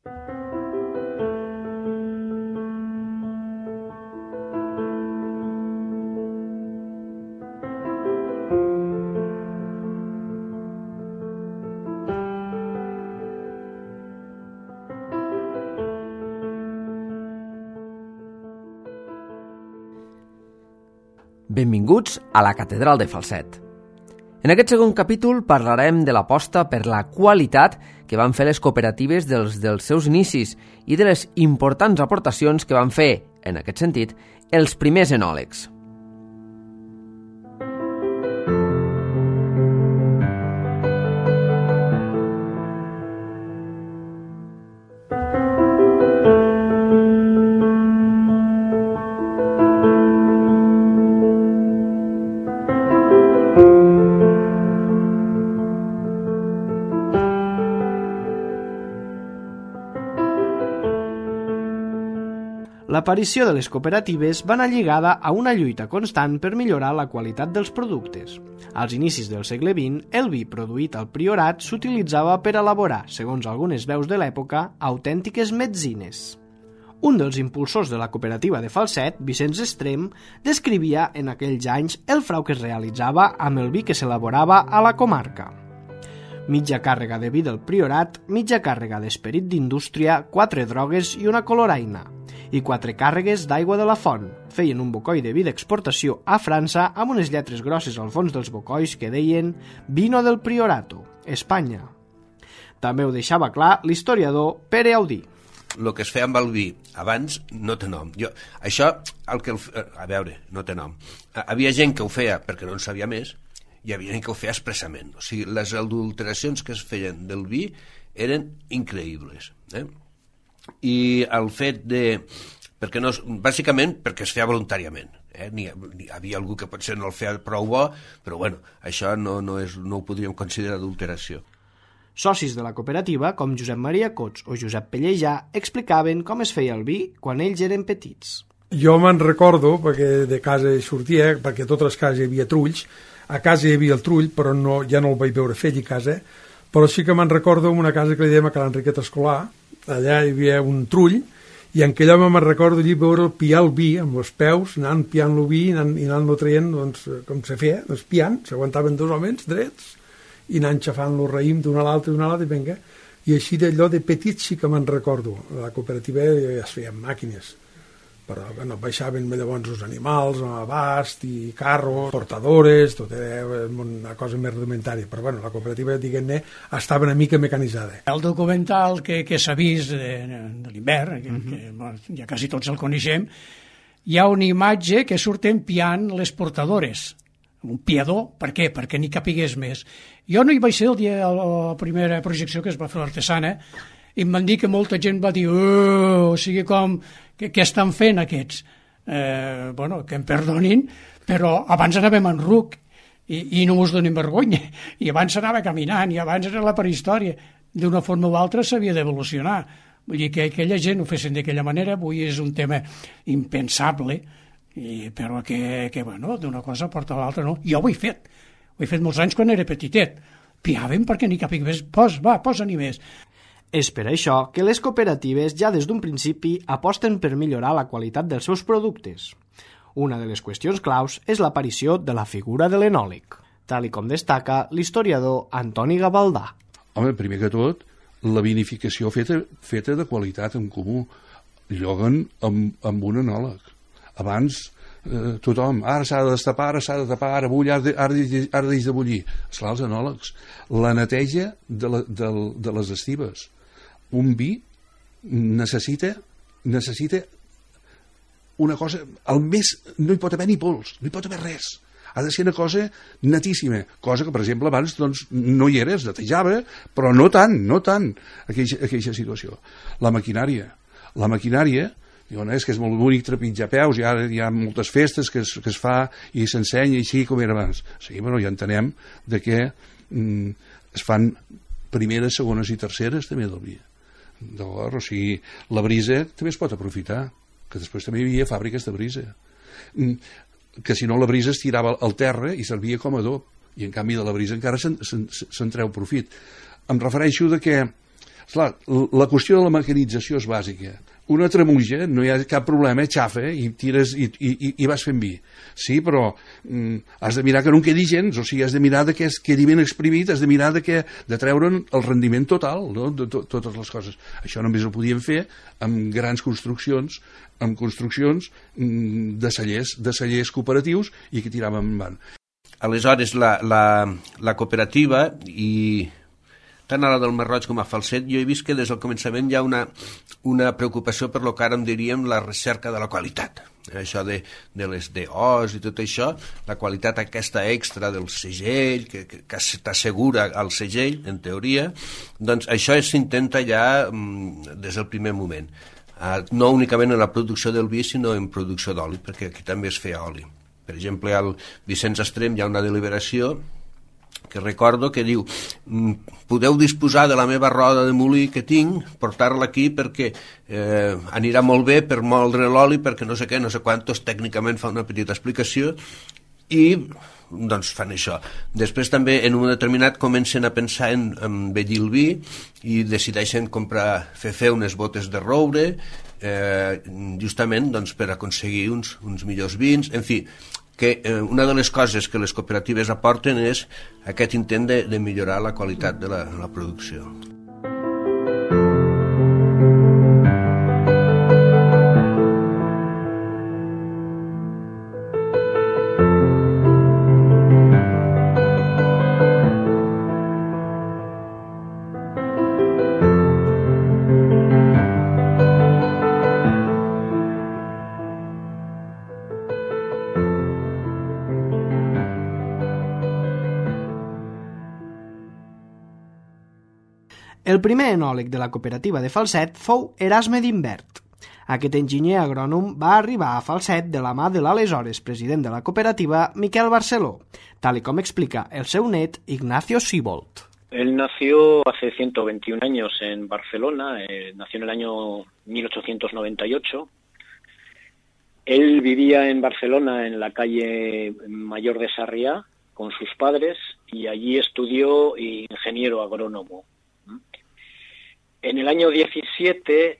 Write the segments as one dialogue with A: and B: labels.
A: Benvinguts a la Catedral de Falset. En aquest segon capítol parlarem de l'aposta per la qualitat que van fer les cooperatives dels seus inicis i de les importants aportacions que van fer, en aquest sentit, els primers enòlegs.
B: L'aparició de les cooperatives va anar lligada a una lluita constant per millorar la qualitat dels productes. Als inicis del segle XX, el vi produït al priorat s'utilitzava per elaborar, segons algunes veus de l'època, autèntiques metzines. Un dels impulsors de la cooperativa de Falset, Vicenç Estrem, descrivia en aquells anys el frau que es realitzava amb el vi que s'elaborava a la comarca. Mitja càrrega de vi del priorat, mitja càrrega d'esperit d'indústria, 4 drogues i una coloraina, i 4 càrregues d'aigua de la font. Feien un bocoi de vi d'exportació a França amb unes lletres grosses al fons dels bocois que deien «Vino del Priorato, Espanya». També ho deixava clar l'historiador Pere Audí.
C: El que es feia amb el vi abans no té nom. A veure, no té nom. Havia gent que ho feia perquè no en sabia més i hi havia gent que ho feia expressament. O sigui, les adulteracions que es feien del vi eren increïbles. I el fet de... bàsicament perquè es feia voluntàriament. N'hi havia algú que potser no el feia prou bo, però bueno, això no ho podríem considerar adulteració.
B: Socis de la cooperativa, com Josep Maria Cots o Josep Pellejà, explicaven com es feia el vi quan ells eren petits.
D: Jo me'n recordo, perquè de casa sortia, perquè a totes les cases hi havia trulls. A casa hi havia el trull, però ja no el vaig veure fer a casa, però sí que me'n recordo en una casa que li dèiem a Ca l'Enriqueta Escolar. Allà hi havia un trull, i en aquell home me'n recordo allí veure piar el vi amb els peus, anant piant el vi i anant-lo traient, doncs, com se feia, doncs, piant, s'aguantaven 2 homes drets, i anant xafant el raïm d'una a l'altra, i vinga. I així d'allò de petit sí que me'n recordo. A la cooperativa ja es feien màquines, però bueno, baixaven llavors els animals, abast i carros, portadores, tot era una cosa més rudimentària, però bueno, la cooperativa, diguem-ne, estava una mica mecanitzada.
E: El documental que s'ha vist de l'hivern, que ja quasi tots el coneixem, hi ha una imatge que surten piant les portadores, un piador, per què? Perquè n'hi capigués més. Jo no hi vaig ser el dia de la primera projecció que es va fer l'Artesana, i em van dir que molta gent va dir o sigui com, què estan fent aquests? Bueno, que em perdonin, però abans anàvem en ruc i no us donem vergonya, i abans s'anava caminant, i abans era la prehistòria, d'una forma o altra s'havia d'evolucionar. Vull dir que aquella gent ho fessin d'aquella manera, avui és un tema impensable, però que bueno, d'una cosa porta a l'altra no. Jo ho he fet molts anys quan era petitet, piàvem perquè n'hi capigui més, posa-n'hi més.
B: És per això que les cooperatives ja des d'un principi aposten per millorar la qualitat dels seus productes. Una de les qüestions claus és l'aparició de la figura de l'enòleg, tal com destaca l'historiador Antoni Gavaldà.
F: Home, primer que tot, la vinificació feta de qualitat en comú. Lloguen amb un enòleg. Abans tothom, ara s'ha de destapar, ara bull, ara deix de bullir. Esclar, els enòlegs. La neteja de les estives. Un vi necessita una cosa, al més no hi pot haver ni pols, no hi pot haver res, ha de ser una cosa netíssima, cosa que per exemple abans doncs, no hi era, es netejava, però no tant aquella situació. La maquinària, diuen, és que és molt bonic trepitjar peus, hi ha moltes festes que es fa i s'ensenya així com era abans. Sí, però ja entenem de que es fan primeres, segones i terceres també del vi. O sigui, la brisa també es pot aprofitar, que després també hi havia fàbriques de brisa, que si no la brisa es tirava al terra i servia com a adob, i en canvi de la brisa encara se'n treu profit. Em refereixo de que Esclar, la qüestió de la mecanització és bàsica. Una tremuja, no hi ha cap problema, xafa i tires i vas fent vi. Sí, però has de mirar que no en quedi gens, o sigui, has de mirar que quedi ben exprimit, has de mirar de treure'n el rendiment total, no? De totes les coses. Això només ho podíem fer amb grans construccions, de cellers cooperatius i que tiràvem endavant.
C: Aleshores, la cooperativa i tant a la del Marroig com a Falset, jo he vist que des del començament hi ha una preocupació per lo que ara en diríem la recerca de la qualitat. Això de les DOs i tot això, la qualitat aquesta extra del segell, que t'assegura el segell, en teoria, doncs això s'intenta ja des del primer moment. No únicament en la producció del vi, sinó en producció d'oli, perquè aquí també es feia oli. Per exemple, al Vicenç Estrem hi ha una deliberació que recordo que diu podeu disposar de la meva roda de molí que tinc, portar-la aquí perquè anirà molt bé per moldre l'oli, perquè no sé què, no sé quantos, tècnicament fa una petita explicació i doncs fan això. Després també en un determinat comencen a pensar en envellir el vi i decideixen fer unes botes de roure justament doncs, per aconseguir uns millors vins, en fi, que una de les coses que les cooperatives aporten és aquest intent de millorar la qualitat de la producció.
B: El primer enòleg de la cooperativa de Falset fou Erasme d'Imbert. Aquest enginyer agrònom va arribar a Falset de la mà de l'aleshores president de la cooperativa, Miquel Barceló, tal com explica el seu net Ignacio Sibold.
G: Él nació hace 121 años en Barcelona, nació en el año 1898. Él vivía en Barcelona, en la calle Mayor de Sarriá, con sus padres, y allí estudió ingeniero agrónomo. En el año 17,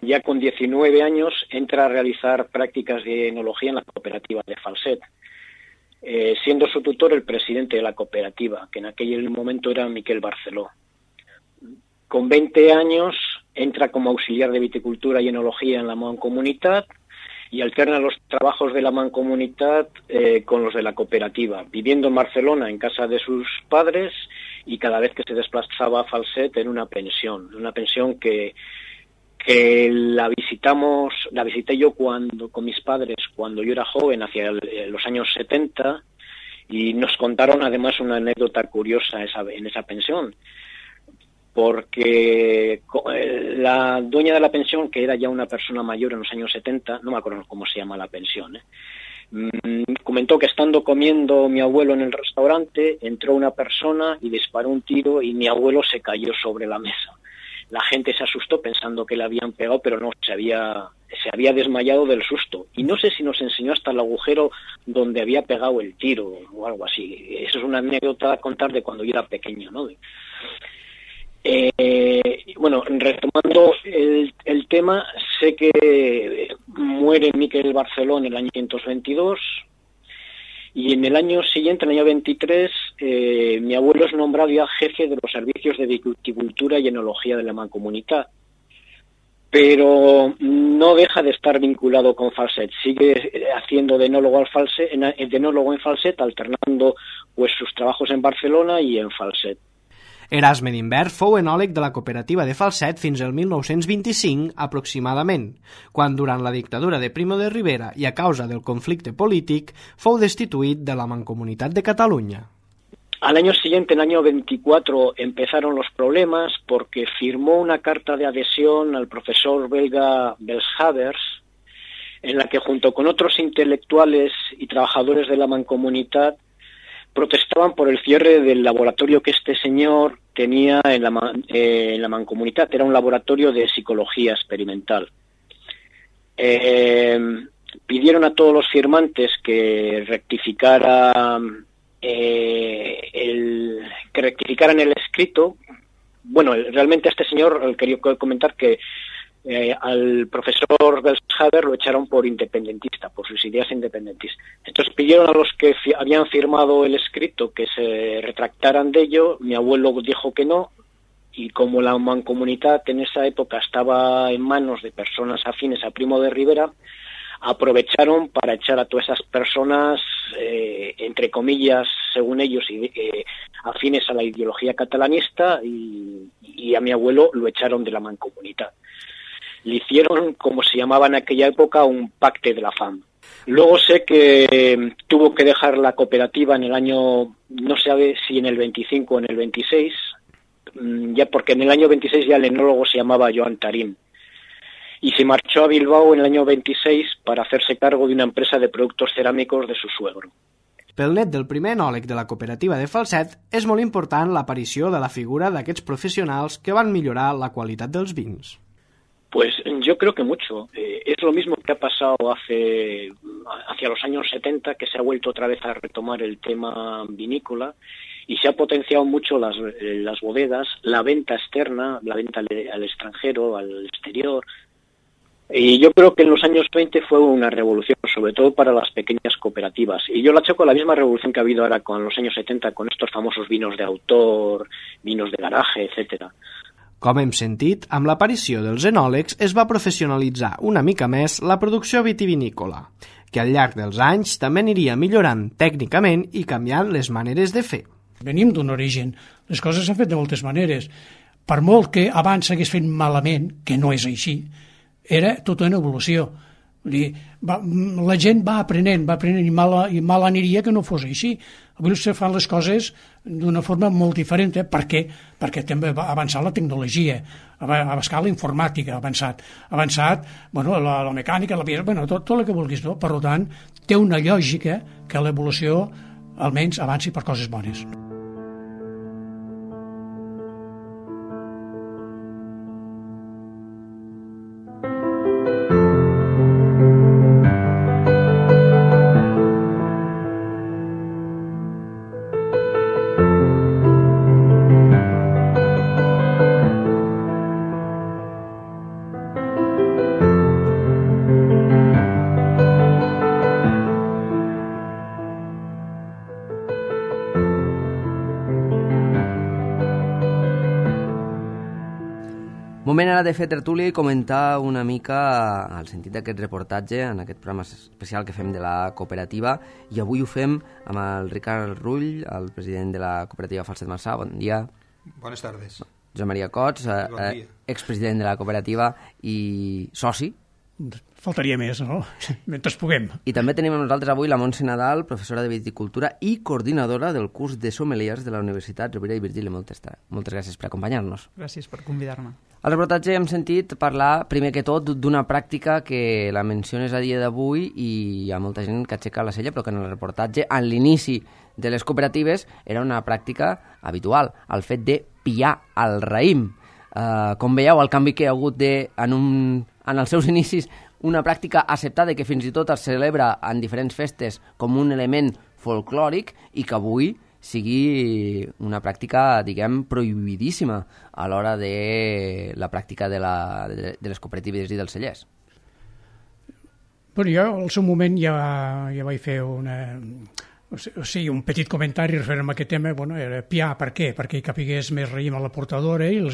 G: ya con 19 años, entra a realizar prácticas de enología en la cooperativa de Falset, siendo su tutor el presidente de la cooperativa, que en aquel momento era Miquel Barceló. Con 20 años entra como auxiliar de viticultura y enología en la Mancomunitat y alterna los trabajos de la Mancomunitat con los de la cooperativa, viviendo en Barcelona en casa de sus padres y cada vez que se desplazaba a Falset en una pensión que la visité yo con mis padres cuando yo era joven, hacia los años 70, y nos contaron además una anécdota curiosa en esa pensión, porque la dueña de la pensión, que era ya una persona mayor en los años 70, no me acuerdo cómo se llama la pensión, comentó que estando comiendo mi abuelo en el restaurante, entró una persona y disparó un tiro y mi abuelo se cayó sobre la mesa. La gente se asustó pensando que le habían pegado, pero no, se había desmayado del susto. Y no sé si nos enseñó hasta el agujero donde había pegado el tiro o algo así. Eso es una anécdota a contar de cuando yo era pequeño, ¿no? Bueno, retomando el tema, sé que muere Miquel Barceló en el año 1922 y en el año siguiente, en el año 23, mi abuelo es nombrado ya jefe de los servicios de viticultura y enología de la Mancomunitat, pero no deja de estar vinculado con Falset, sigue haciendo de enólogo en Falset, alternando pues sus trabajos en Barcelona y en Falset.
B: Erasme d'Imbert fou enòleg de la cooperativa de Falset fins al 1925 aproximadament, quan durant la dictadura de Primo de Rivera i a causa del conflicte polític fou destituït de la Mancomunitat de Catalunya.
G: Al año siguiente, en el año 24, empezaron los problemas porque firmó una carta de adhesión al profesor belga Belshavers, en la que junto con otros intelectuales y trabajadores de la Mancomunitat protestaban por el cierre del laboratorio que este señor tenía en la Mancomunitat. Era un laboratorio de psicología experimental. Pidieron a todos los firmantes que rectificaran el escrito, bueno, realmente a este señor quería comentar que al profesor Belshaber lo echaron por independentista, por sus ideas independentistas. Entonces pidieron a los que habían firmado el escrito que se retractaran de ello. Mi abuelo dijo que no, y como la mancomunidad en esa época estaba en manos de personas afines a Primo de Rivera, aprovecharon para echar a todas esas personas, entre comillas, según ellos, afines a la ideología catalanista, y a mi abuelo lo echaron de la mancomunidad. Le hicieron, como se llamaba en aquella época, un pacte de la fama. Luego sé que tuvo que dejar la cooperativa en el año, no se sabe si en el 25 o en el 26, ya porque en el año 26 ya el enólogo se llamaba Joan Tarín, y se marchó a Bilbao en el año 26 para hacerse cargo de una empresa de productos cerámicos de su suegro.
B: Pel net del primer enòleg de la cooperativa de Falset, és molt important l'aparició de la figura d'aquests professionals que van millorar la qualitat dels vins.
G: Pues yo creo que mucho. Es lo mismo que ha pasado hacia los años 70, que se ha vuelto otra vez a retomar el tema vinícola y se ha potenciado mucho las bodegas, la venta externa, la venta al extranjero, al exterior. Y yo creo que en los años 20 fue una revolución, sobre todo para las pequeñas cooperativas. Y yo la achaco a la misma revolución que ha habido ahora con los años 70, con estos famosos vinos de autor, vinos de garaje, etcétera.
B: Com hem sentit, amb l'aparició dels enòlegs es va professionalitzar una mica més la producció vitivinícola, que al llarg dels anys també aniria millorant tècnicament i canviant les maneres de fer.
E: Venim d'un origen, les coses s'han fet de moltes maneres. Per molt que abans s'hagués fet malament, que no és així, era tota una evolució. Vull dir, la gent va aprenent i mal aniria que no fos així. Avui se fan les coses d'una forma molt diferent. Per què? Perquè també va avançar la tecnologia, va avançar la informàtica, ha avançat bueno, la mecànica, bueno, tot el que vulguis. No? Per tant, té una lògica que l'evolució almenys avanci per coses bones.
A: Moment ara de fer tertúlia i comentar una mica el sentit d'aquest reportatge en aquest programa especial que fem de la cooperativa, i avui ho fem amb el Ricard Rull, el president de la cooperativa Falset Marçà. Bon dia.
H: Bones tardes.
A: Josep Maria Cots, expresident de la cooperativa i soci.
E: Faltaria més, no? Mentre puguem.
A: I també tenim amb nosaltres avui la Montse Nadal, professora de viticultura i coordinadora del curs de sommeliers de la Universitat Rovira i Virgili. Moltes gràcies per acompanyar-nos.
I: Gràcies per convidar-me.
A: Al reportatge hem sentit parlar, primer que tot, d'una pràctica que la menciones a dia d'avui i hi ha molta gent que aixeca la cella, però que en el reportatge, en l'inici de les cooperatives, era una pràctica habitual, el fet de pillar el raïm. Com veieu, el canvi que hi ha hagut en els seus inicis, una pràctica acceptada que fins i tot es celebra en diferents festes com un element folclòric i que avui sigui una pràctica, diguem, prohibidíssima a l'hora de la pràctica de les cooperatives i dels cellers.
E: Bueno, jo al seu moment ja vaig fer un petit comentari referent a aquest tema. Bueno, era piar, per què? Perquè hi capigués més raïm a la portadora i el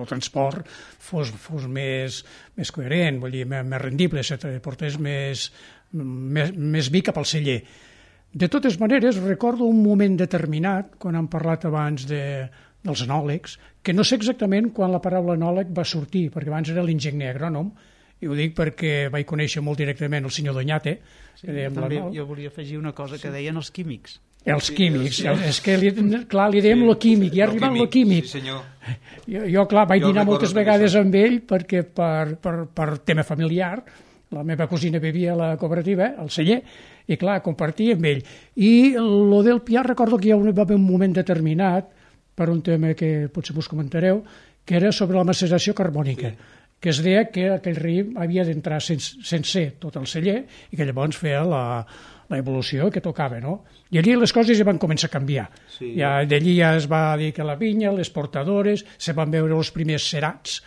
E: transport fos més coherent, vull dir, més rendible, portés més vi cap al celler. De totes maneres, recordo un moment determinat, quan hem parlat abans dels enòlegs, que no sé exactament quan la paraula enòleg va sortir, perquè abans era l'enginyer agrònom, i ho dic perquè vaig conèixer molt directament el senyor Doñate.
I: Sí, jo volia afegir una cosa que deien els químics.
E: Els químics, és que clar, li dèiem lo químic, i ha arribat lo químic.
H: Sí, senyor.
E: Jo, clar, vaig dinar moltes vegades amb ell perquè per tema familiar, la meva cosina vivia a la cooperativa, al celler, i clar, compartia amb ell. I lo del piar, recordo que hi va haver un moment determinat, per un tema que potser vos comentareu, que era sobre la maceració carbònica. que es deia que aquell raïm havia d'entrar sense tot el celler i que llavors feia l'evolució que tocava, no? I allí les coses ja van començar a canviar.
H: Sí.
E: D'allí ja es va dir que la vinya, les portadores, se van veure els primers cerats,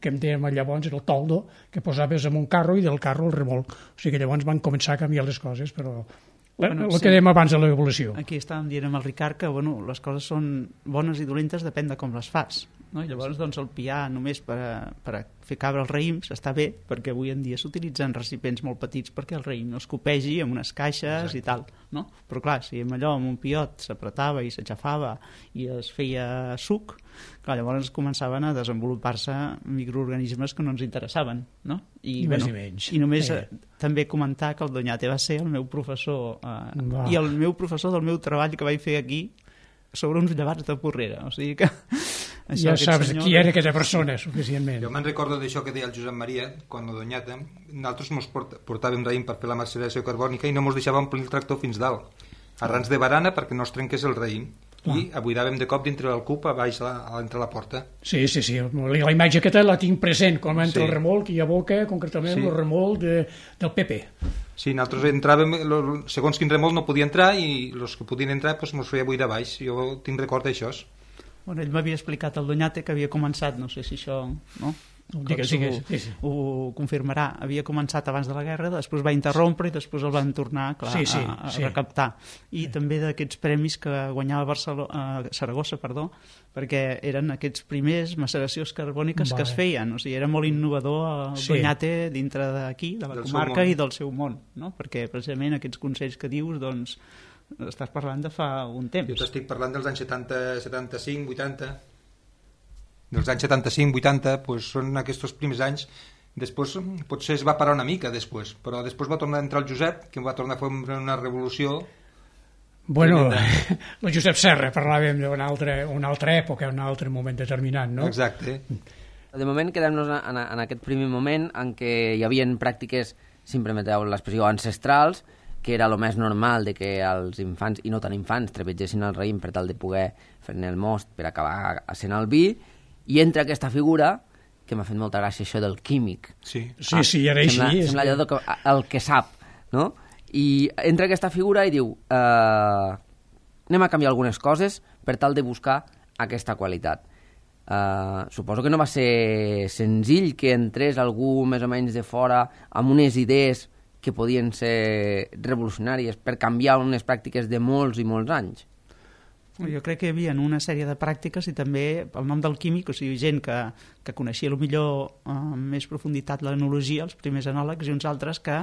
E: que em dèiem llavors el toldo, que posaves en un carro i del carro el remolc. O sigui que llavors van començar a canviar les coses, però el que dèiem abans de l'evolució.
I: Aquí estàvem dient amb el Ricard que les coses són bones i dolentes depèn de com les fas. No? I llavors el piar només per a fer cabre els raïms està bé, perquè avui en dia s'utilitzen recipients molt petits perquè el raïm no es copegi amb unes caixes. Exacte. I tal. No? Però clar, si amb un piot s'apretava i s'aixafava i es feia suc, clar, llavors començaven a desenvolupar-se microorganismes que no ens interessaven. No?
E: I més i menys.
I: I només també comentar que el Doñate va ser el meu professor i el meu professor del meu treball que vaig fer aquí sobre uns llevats de Porrera. O sigui que
E: ja saps qui era aquesta persona, suficientment.
H: Jo me'n recordo d'això que deia el Josep Maria, quan el Doñate, nosaltres ens portàvem raïm per fer la maceració carbònica i no ens deixava omplir el tractor fins dalt, arrans de barana perquè no es trenqués el raïm. I abuidàvem de cop dintre del cub a baix entre la porta.
E: Sí, la imatge aquesta la tinc present, com entra el remolc i aboca concretament el remolc del PP.
H: Sí, nosaltres entràvem, segons quin remolc no podia entrar i els que podien entrar ens feia buidar baix. Jo tinc record d'això.
I: Bueno, ell m'havia explicat el Doñate que havia començat, no sé si això... No? Ho confirmarà, havia començat abans de la guerra, després va interrompre i després el van tornar a recaptar. I també d'aquests premis que guanyava Saragossa, perquè eren aquests primers maceracions carbòniques que es feien, o sigui, era molt innovador el Doñate dintre d'aquí, de la comarca i del seu món, no? Perquè precisament aquests consells que dius, doncs, estàs parlant de fa un temps.
H: Jo t'estic parlant dels anys 70, 75, 80... dels anys 75-80, doncs són aquests primers anys. Després potser es va parar una mica després, però després va tornar a entrar el Josep, que va tornar a fer una revolució.
E: Bueno, el Josep Serra, parlàvem d'una altra època, un altre moment determinat, no?
H: Exacte.
A: De moment quedem-nos en aquest primer moment en què hi havia pràctiques, si em permeteu l'expressió, ancestrals, que era el més normal de que els infants, i no tan infants, trebegessin el raïm per tal de poder fer-ne el most per acabar sent el vi. I entra aquesta figura, que m'ha fet molta gràcia això del químic.
E: Sí, era així.
A: Sembla allò el que sap, no? I entra aquesta figura i diu anem a canviar algunes coses per tal de buscar aquesta qualitat. Suposo que no va ser senzill que entrés algú més o menys de fora amb unes idees que podien ser revolucionàries per canviar unes pràctiques de molts i molts anys.
I: Jo crec que hi havia una sèrie de pràctiques i també el nom del químic, o sigui, gent que coneixia millor amb més profunditat l'enologia, els primers enòlegs, i uns altres que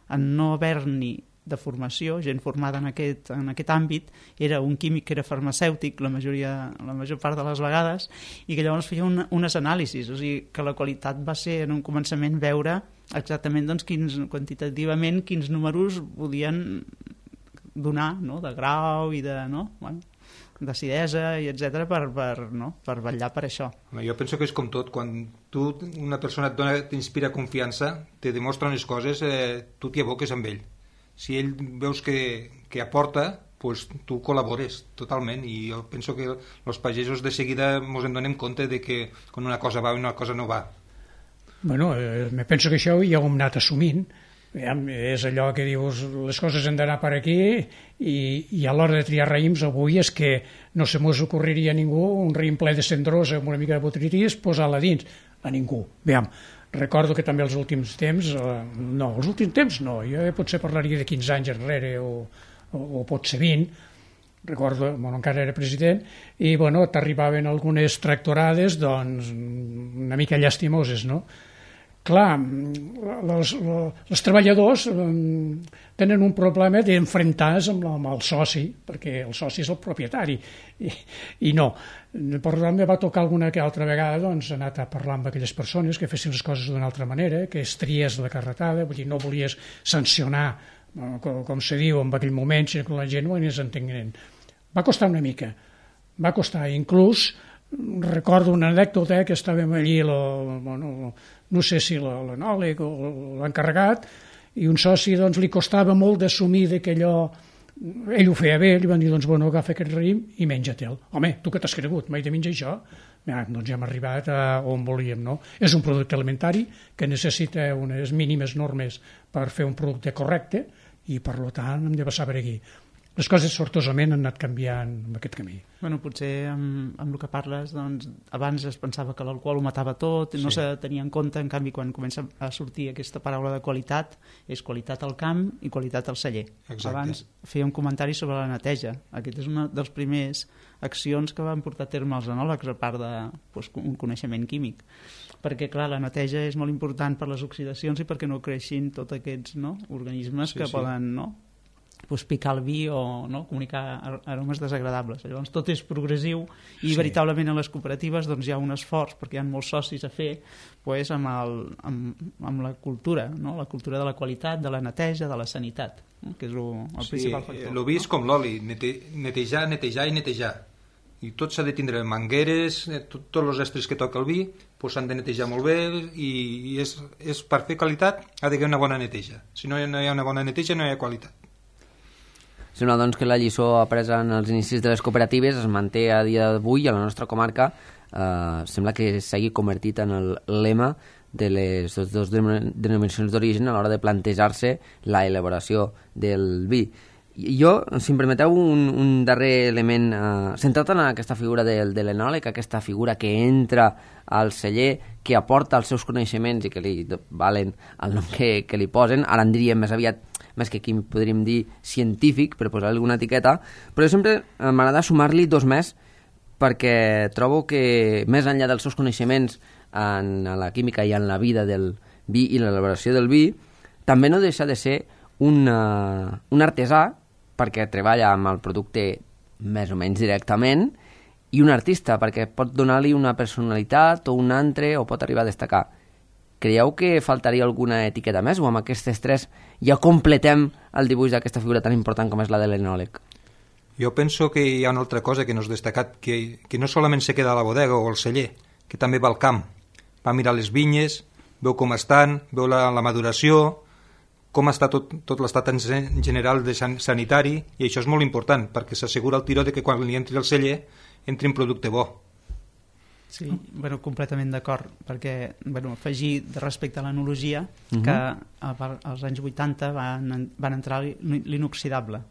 I: en no haver-n'hi de formació, gent formada en aquest àmbit, era un químic que era farmacèutic la major part de les vegades, i que llavors feia unes anàlisis, o sigui que la qualitat va ser en un començament veure exactament doncs, quantitativament quins números podien donar, no? De grau i de... No? Bueno, d'acidesa i etc per vetllar per això.
H: Jo penso que és com tot, quan una persona t'inspira confiança, te demostra unes coses, tu t'hi aboques amb ell. Si ell veus que aporta, pues tu col·labores totalment, i jo penso que els pagesos de seguida ens en donem compte de que quan una cosa va i una cosa no va.
E: Bueno, me penso que això ja ho hem anat assumint. És allò que dius, les coses han d'anar per aquí, i a l'hora de triar raïms avui és que no se mos ocorreria a ningú un raïm ple de cendrosa amb una mica de botrytis posar-la dins, a ningú. Veiem, recordo que també els últims temps, jo potser parlaria de 15 anys enrere o potser 20, recordo, encara era president, i t'arribaven algunes tractorades doncs una mica llastimoses, no? Clar, els treballadors tenen un problema d'enfrontar-se amb el soci, perquè el soci és el propietari, i no. Per tant, me va tocar alguna que altra vegada doncs, anar a parlar amb aquelles persones que fessin les coses d'una altra manera, que es triés la carretada, vull dir, no volies sancionar, com se diu en aquell moment, sinó que la gent ho anés entenent. Va costar una mica, va costar, inclús recordo una anècdota que estàvem allí, no sé si l'enòleg o l'encarregat, i un soci doncs, li costava molt d'assumir que allò, ell ho feia bé, li van dir, doncs, agafa aquest raïm i menja-te'l. Home, tu que t'has cregut, mai de menjar això? doncs hem arribat a on volíem, no? És un producte alimentari que necessita unes mínimes normes per fer un producte correcte i, per tant, hem de passar per aquí. Les coses sortosament han anat canviant en aquest camí.
I: Bueno, potser amb el que parles, doncs, abans es pensava que l'alcohol ho matava tot, no se tenia en compte, en canvi, quan comença a sortir aquesta paraula de qualitat, és qualitat al camp i qualitat al celler.
H: Exacte.
I: Abans feia un comentari sobre la neteja. Aquest és una dels primers accions que van portar a terme els enòlegs, a part d'un coneixement químic. Perquè, clar, la neteja és molt important per les oxidacions i perquè no creixin tots aquests organismes que poden picar el vi o comunicar aromes desagradables. Llavors tot és progressiu i veritablement a les cooperatives doncs, hi ha un esforç, perquè hi ha molts socis a fer amb la cultura, la cultura de la qualitat, de la neteja, de la sanitat, que és el principal factor.
H: El vi és com l'oli, netejar i netejar. I tot s'ha de tindre mangueres, tots els estris que toca el vi s'han de netejar molt bé i és per fer qualitat ha d'haver una bona neteja. Si no hi ha una bona neteja no hi ha qualitat.
A: Sembla doncs que la lliçó apresa en els inicis de les cooperatives es manté a dia d'avui a la nostra comarca. Sembla que s'hagi convertit en el lema de les dues denominacions d'origen a l'hora de plantejar-se la elaboració del vi. Jo, si em permeteu, un darrer element centrat en aquesta figura de l'enòleg, aquesta figura que entra al celler, que aporta els seus coneixements i que li valen el nom que li posen. Ara en diríem més aviat, més que aquí podríem dir científic, per posar alguna etiqueta, però sempre m'agrada sumar-li dos més, perquè trobo que més enllà dels seus coneixements en la química i en la vida del vi i l'elaboració del vi, també no deixa de ser un artesà, perquè treballa amb el producte més o menys directament, i un artista, perquè pot donar-li una personalitat o un altre, o pot arribar a destacar. Creieu que faltaria alguna etiqueta més, o amb aquestes tres ja completem el dibuix d'aquesta figura tan important com és la de l'enòleg?
H: Jo penso que hi ha una altra cosa que no has destacat, que no solament se queda a la bodega o al celler, que també va al camp. Va mirar les vinyes, veu com estan, veu la maduració, com està tot l'estat en general de sanitari, i això és molt important, perquè s'assegura el tiró de que quan li entri al celler entri un producte bo.
I: Sí, completament d'acord, perquè afegir respecte a l'enologia que als anys 80 van entrar l'inoxidable.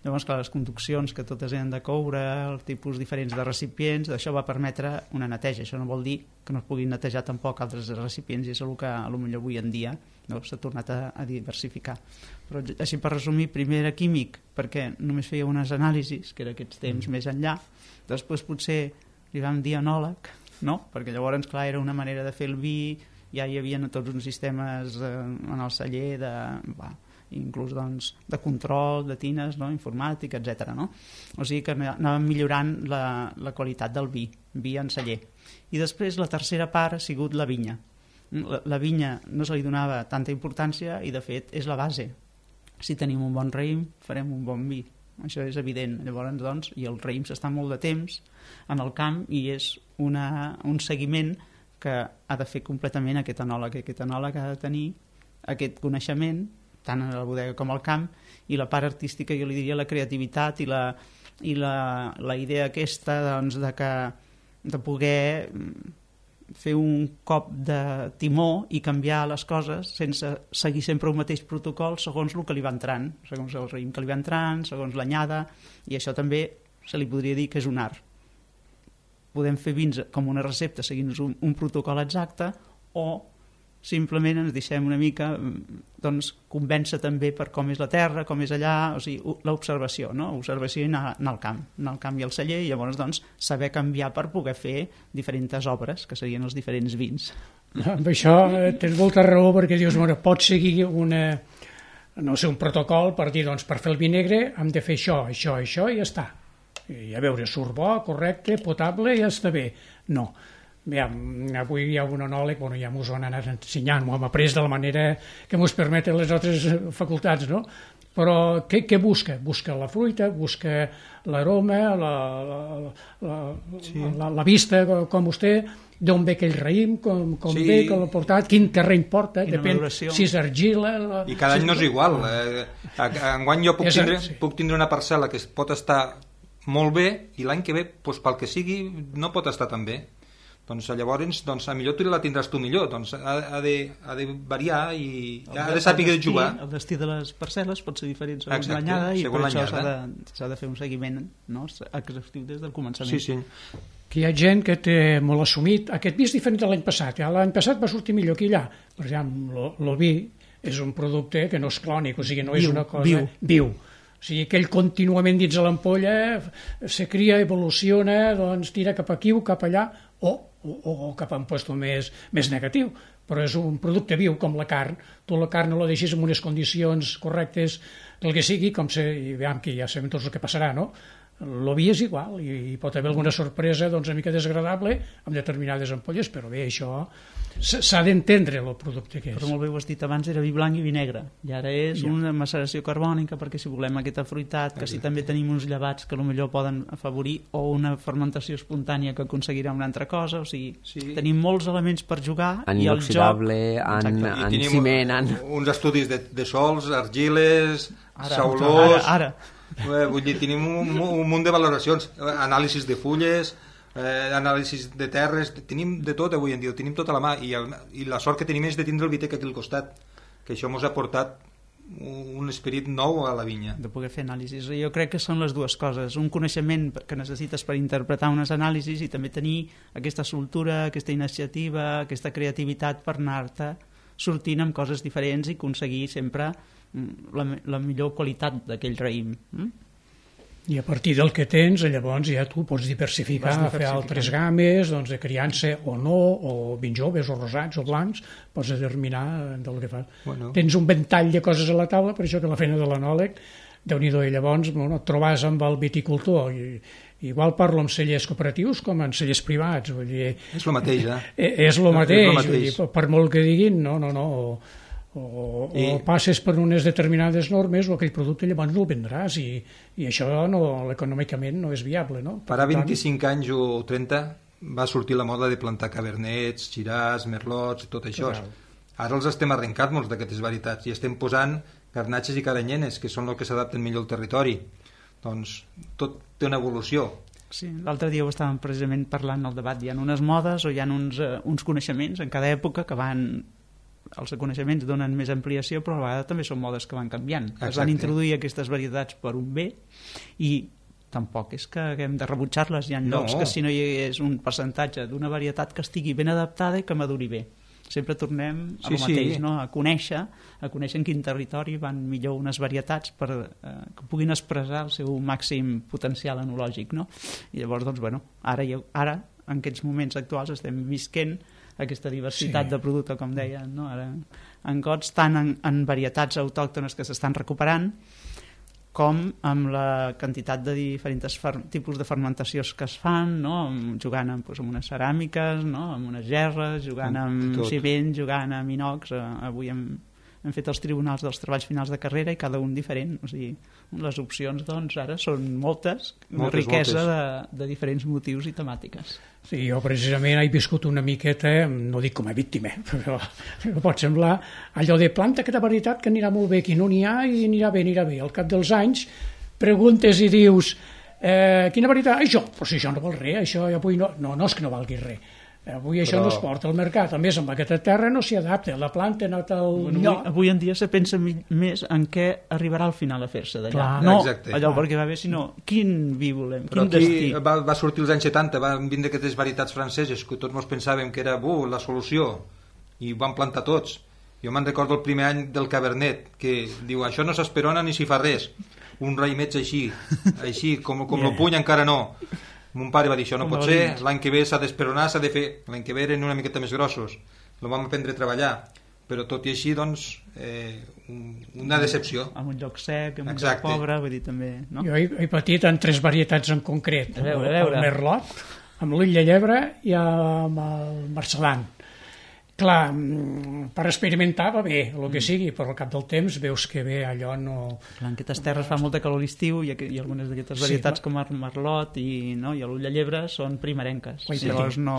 I: Llavors, clar, les conduccions que totes eren de coure, els tipus diferents de recipients, això va permetre una neteja. Això no vol dir que no es puguin netejar tampoc altres recipients, i és el que potser avui en dia s'ha tornat a diversificar. Però així, per resumir, primer era químic, perquè només feia unes anàlisis, que era aquests temps més enllà. Després potser li vam dir enòleg, perquè llavors, clar, era una manera de fer el vi, ja hi havia tots uns sistemes en el celler inclús de control de tines, informàtic, etc. O sigui que anàvem millorant la qualitat del vi en celler. I després la tercera part ha sigut la vinya. La vinya no se li donava tanta importància i de fet és la base. Si tenim un bon raïm farem un bon vi, això és evident. Llavors, doncs, i el raïm s'està molt de temps en el camp i és un seguiment que ha de fer completament aquest enòleg. Aquest enòleg ha de tenir aquest coneixement tant a la bodega com al camp, i la part artística, jo li diria la creativitat i la idea aquesta de poder fer un cop de timó i canviar les coses sense seguir sempre un mateix protocol segons el que li va entrant, segons el raïm que li va entrant, segons l'anyada, i això també se li podria dir que és un art. Podem fer vins com una recepta seguint un protocol exacte, o simplement ens deixem una mica convèncer també per com és la terra, com és allà, o sigui, l'observació, observació i anar al camp i al celler, i llavors saber canviar per poder fer diferents obres, que serien els diferents vins.
E: Amb això tens molta raó, perquè dius, pots seguir un protocol per dir, per fer el vi negre hem de fer això i ja està. I a veure, surt bo, correcte, potable, ja està bé. No. Avui hi ha un enòleg, ja m'ho han anat ensenyant, m'ho hem après de la manera que ens permeten les altres facultats, però què busca? Busca la fruita, busca l'aroma, la vista, com vostè, d'on ve aquell raïm, com ve, com l'ha portat, quin terreny porta, depèn si és argila...
H: I cada any no és igual. Enguany jo puc tindre una parcel·la que pot estar molt bé i l'any que ve, doncs, pel que sigui, no pot estar tan bé. Doncs llavors, a millor tu la tindràs tu millor, doncs ha de variar i ha de saber jugar.
I: El destí de les parcel·les pot ser diferent segons l'anyada i per això s'ha de fer un seguiment, no, exhaustiu des del començament.
H: Sí.
E: Que hi ha gent que té molt assumit, aquest vi és diferent de l'any passat, l'any passat va sortir millor que allà. Per exemple, el vi és un producte que no és clònic, o sigui, no és una cosa viu. O sigui, que ell contínuament dins de l'ampolla se cria, evoluciona, doncs tira cap aquí o cap allà, o cap a un lloc més negatiu. Però és un producte viu, com la carn. Tu la carn no la deixis en unes condicions correctes, el que sigui, i veiem que ja sabem tots el que passarà, no? El vi és igual, i pot haver alguna sorpresa una mica desagradable amb determinades ampolles, però bé, això s'ha d'entendre el producte que és.
I: Però molt bé ho has dit abans, era vi blanc i vi negre, i ara és una maceració carbònica, perquè si volem aquesta fruitat, que si també tenim uns llevats que potser poden afavorir, o una fermentació espontània que aconseguirà una altra cosa, o sigui, tenim molts elements per jugar,
A: en inoxidable, en ciment,
H: uns estudis de sols, argiles, saulós...
I: Ara.
H: Vull dir, tenim un munt de valoracions, anàlisis de fulles, anàlisis de terres, tenim de tot avui en dia, tenim tota la mà, i la sort que tenim és de tindre el Vitec aquí al costat, que això ens ha portat un esperit nou a la vinya.
I: De poder fer anàlisis. Jo crec que són les dues coses, un coneixement que necessites per interpretar unes anàlisis i també tenir aquesta soltura, aquesta iniciativa, aquesta creativitat per anar-te sortint amb coses diferents i aconseguir sempre la millor qualitat d'aquell raïm.
E: I a partir del que tens, llavors ja tu pots diversificar, fer altres games de criança o no, o vins joves, o rosats, o blancs, pots determinar del que fas. Tens un ventall de coses a la taula, per això que la feina de l'anòleg, Déu-n'hi-do, i llavors et trobes amb el viticultor, igual parlo amb cellers cooperatius com amb cellers privats, vull dir...
H: És el mateix,
E: És el mateix, per molt que diguin, no, o passes per unes determinades normes o aquell producte llavors no el vendràs i això econòmicament no és viable, no?
H: Farà 25 anys o 30 va sortir la moda de plantar cabernets, xiràs, merlots i tot això. Ara els estem arrencant molts d'aquestes varietats i estem posant garnatxes i caranyenes, que són el que s'adapten millor al territori. Doncs tot té una evolució.
I: Sí, l'altre dia ho estàvem precisament parlant al debat, hi ha unes modes o hi ha uns coneixements en cada època que van... Els coneixements donen més ampliació, però a vegades també són modes que van canviant. Es van introduir aquestes varietats per un bé i tampoc és que haguem de rebutjar-les. Hi ha llocs que si no hi hagués un percentatge d'una varietat que estigui ben adaptada i que maduri bé. Sempre tornem a lo mateix, no? A conèixer en quin territori van millor unes varietats per que puguin expressar el seu màxim potencial enològic, no? I llavors, doncs, ara en aquests moments actuals estem visquent aquesta diversitat de producte, com deia, no? Ara, en gots, tant en varietats autòctones que s'estan recuperant, com amb la quantitat de diferents tipus de fermentacions que es fan, no? Jugant amb unes ceràmiques, no? Amb unes gerres, jugant amb ciment, jugant amb inox. Avui hem fet els tribunals dels treballs finals de carrera i cada un diferent. O sigui, les opcions, doncs, ara són moltes, una riquesa de diferents motius i temàtiques.
E: Sí, jo precisament he viscut una miqueta, no dic com a víctima, però pot semblar allò de planta aquesta varietat que anirà molt bé, aquí no n'hi ha i anirà bé. Al cap dels anys preguntes i dius quina varietat? Això, però si això no val res, això avui no és que no valgui res. Avui això no es porta al mercat, a més amb aquesta terra no s'hi adapta, la planta ha anat al lloc.
I: Avui en dia se pensa més en què arribarà al final a fer-se d'allà. No allò perquè va bé, sinó quin vi volem, quin destí.
H: Va sortir els anys 70, van vindre aquestes varietats franceses que tots ens pensàvem que era la solució i van plantar tots. Jo me'n recordo el primer any del Cabernet, que diu, això no s'esperona ni s'hi fa res, un raïmet així com el puny encara no. Mon pare va dir, això no pot ser, l'any que ve s'ha d'esperonar, s'ha de fer, l'any que ve eren una miqueta més grossos, el vam aprendre a treballar, però tot i així, doncs, una decepció.
I: En un lloc sec, en un lloc pobre, vull dir també, no?
E: Jo he patit en 3 varietats en concret, el Merlot, amb l'Ull de Llebre i amb el Marcelan. Clar, per experimentar va bé, el que sigui, però al cap del temps veus que bé allò no...
I: Clar, en aquestes terres fa molta calor a l'estiu i algunes d'aquestes varietats com el Merlot i l'Ull de Llebre són primerenques. Llavors no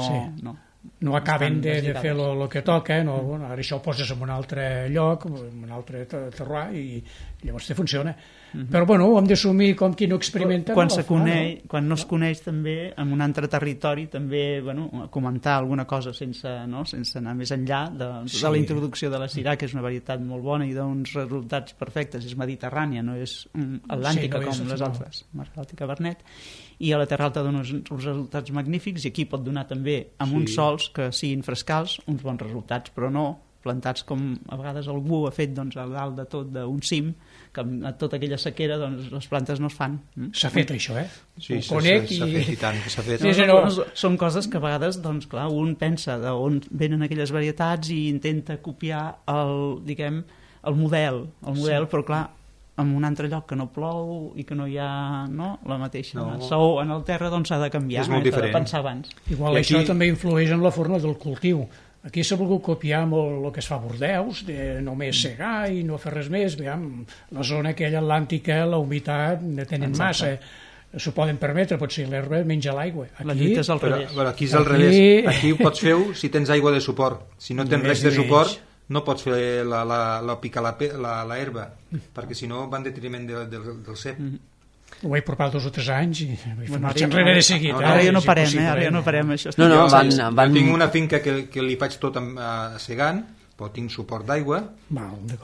E: no acaben
I: estan
E: de fer
I: desligades.
E: el que toca, no? Bueno, ara això ho poses en un altre lloc, en un altre terroir, i llavors te funciona. Però bueno, ho hem d'assumir com qui no experimenta.
I: Quan,
E: no?
I: Quan no es coneix també en un altre territori, també comentar alguna cosa sense anar més enllà de la introducció de la Syrah, que és una varietat molt bona i d'uns resultats perfectes, és mediterrània, no és atlàntica com les altres, Bàltica, Vernet, i a la Terra Alta dona uns resultats magnífics, i aquí pot donar també amb uns sols que siguin frescals uns bons resultats, però no plantats com a vegades algú ha fet a dalt de tot d'un cim, que amb tota aquella sequera les plantes no es fan.
E: S'ha fet això,
H: Sí, s'ha fet i tant que s'ha fet.
I: Són coses que a vegades, clar, un pensa d'on venen aquelles varietats i intenta copiar el model, però clar, en un altre lloc que no plou i que no hi ha la mateixa saó en el terra, doncs s'ha de canviar,
H: és molt diferent.
I: De pensar abans.
E: Igual això també influeix en la forma del cultiu. Aquí s'ha volgut copiar molt el que es fa a Bordeus, de només segar i no fer res més. Veiem, la zona aquella atlàntica, la humitat, no tenen massa. S'ho poden permetre, potser l'herba menja l'aigua.
I: La lluita és al revés.
H: Però aquí és al revés. Aquí ho pots fer si tens aigua de suport. Si no tens res de suport, no pots fer picar l'herba, perquè si no va en detriment del cep.
E: Ho he provat 2 o 3 anys i marxa enrere de seguit.
I: Ara ja no parem, això.
H: Jo tinc una finca que li faig tot segant, però tinc suport d'aigua,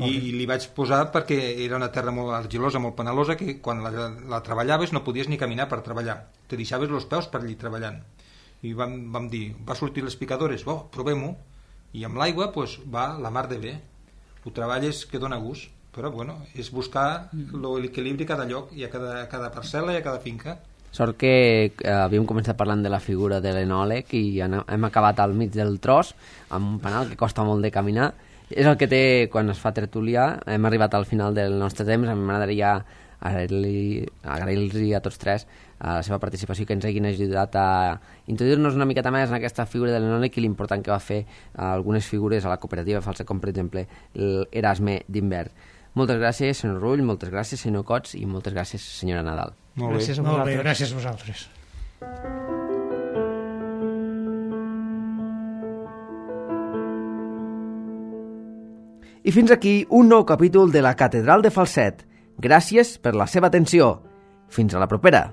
H: i li vaig posar perquè era una terra molt argilosa, molt penalosa, que quan la treballaves no podies ni caminar per treballar, te deixaves els peus per allí treballant. I vam dir, va sortir les picadores, provem-ho, i amb l'aigua va la mar de bé, ho treballes que dona gust, però bueno, és buscar l'equilibri a cada lloc i a cada parcel·la i a cada finca.
A: Sort que havíem començat parlant de la figura de l'enòleg i hem acabat al mig del tros amb un penal que costa molt de caminar. És el que té quan es fa tertúlia. Hem arribat al final del nostre temps. A mi m'agradaria agrair-los a tots tres la seva participació, que ens hagin ajudat a introduir-nos una miqueta més en aquesta figura de l'enòleg i l'important que va fer algunes figures a la cooperativa Falset, com per exemple l'Erasme d'Invern. Moltes gràcies, senyor Rull, moltes gràcies, senyor Cots, i moltes gràcies, senyora Nadal.
E: Gràcies a vosaltres. Gràcies a vosaltres.
A: I fins aquí un nou capítol de la Catedral de Falset. Gràcies per la seva atenció. Fins a la propera.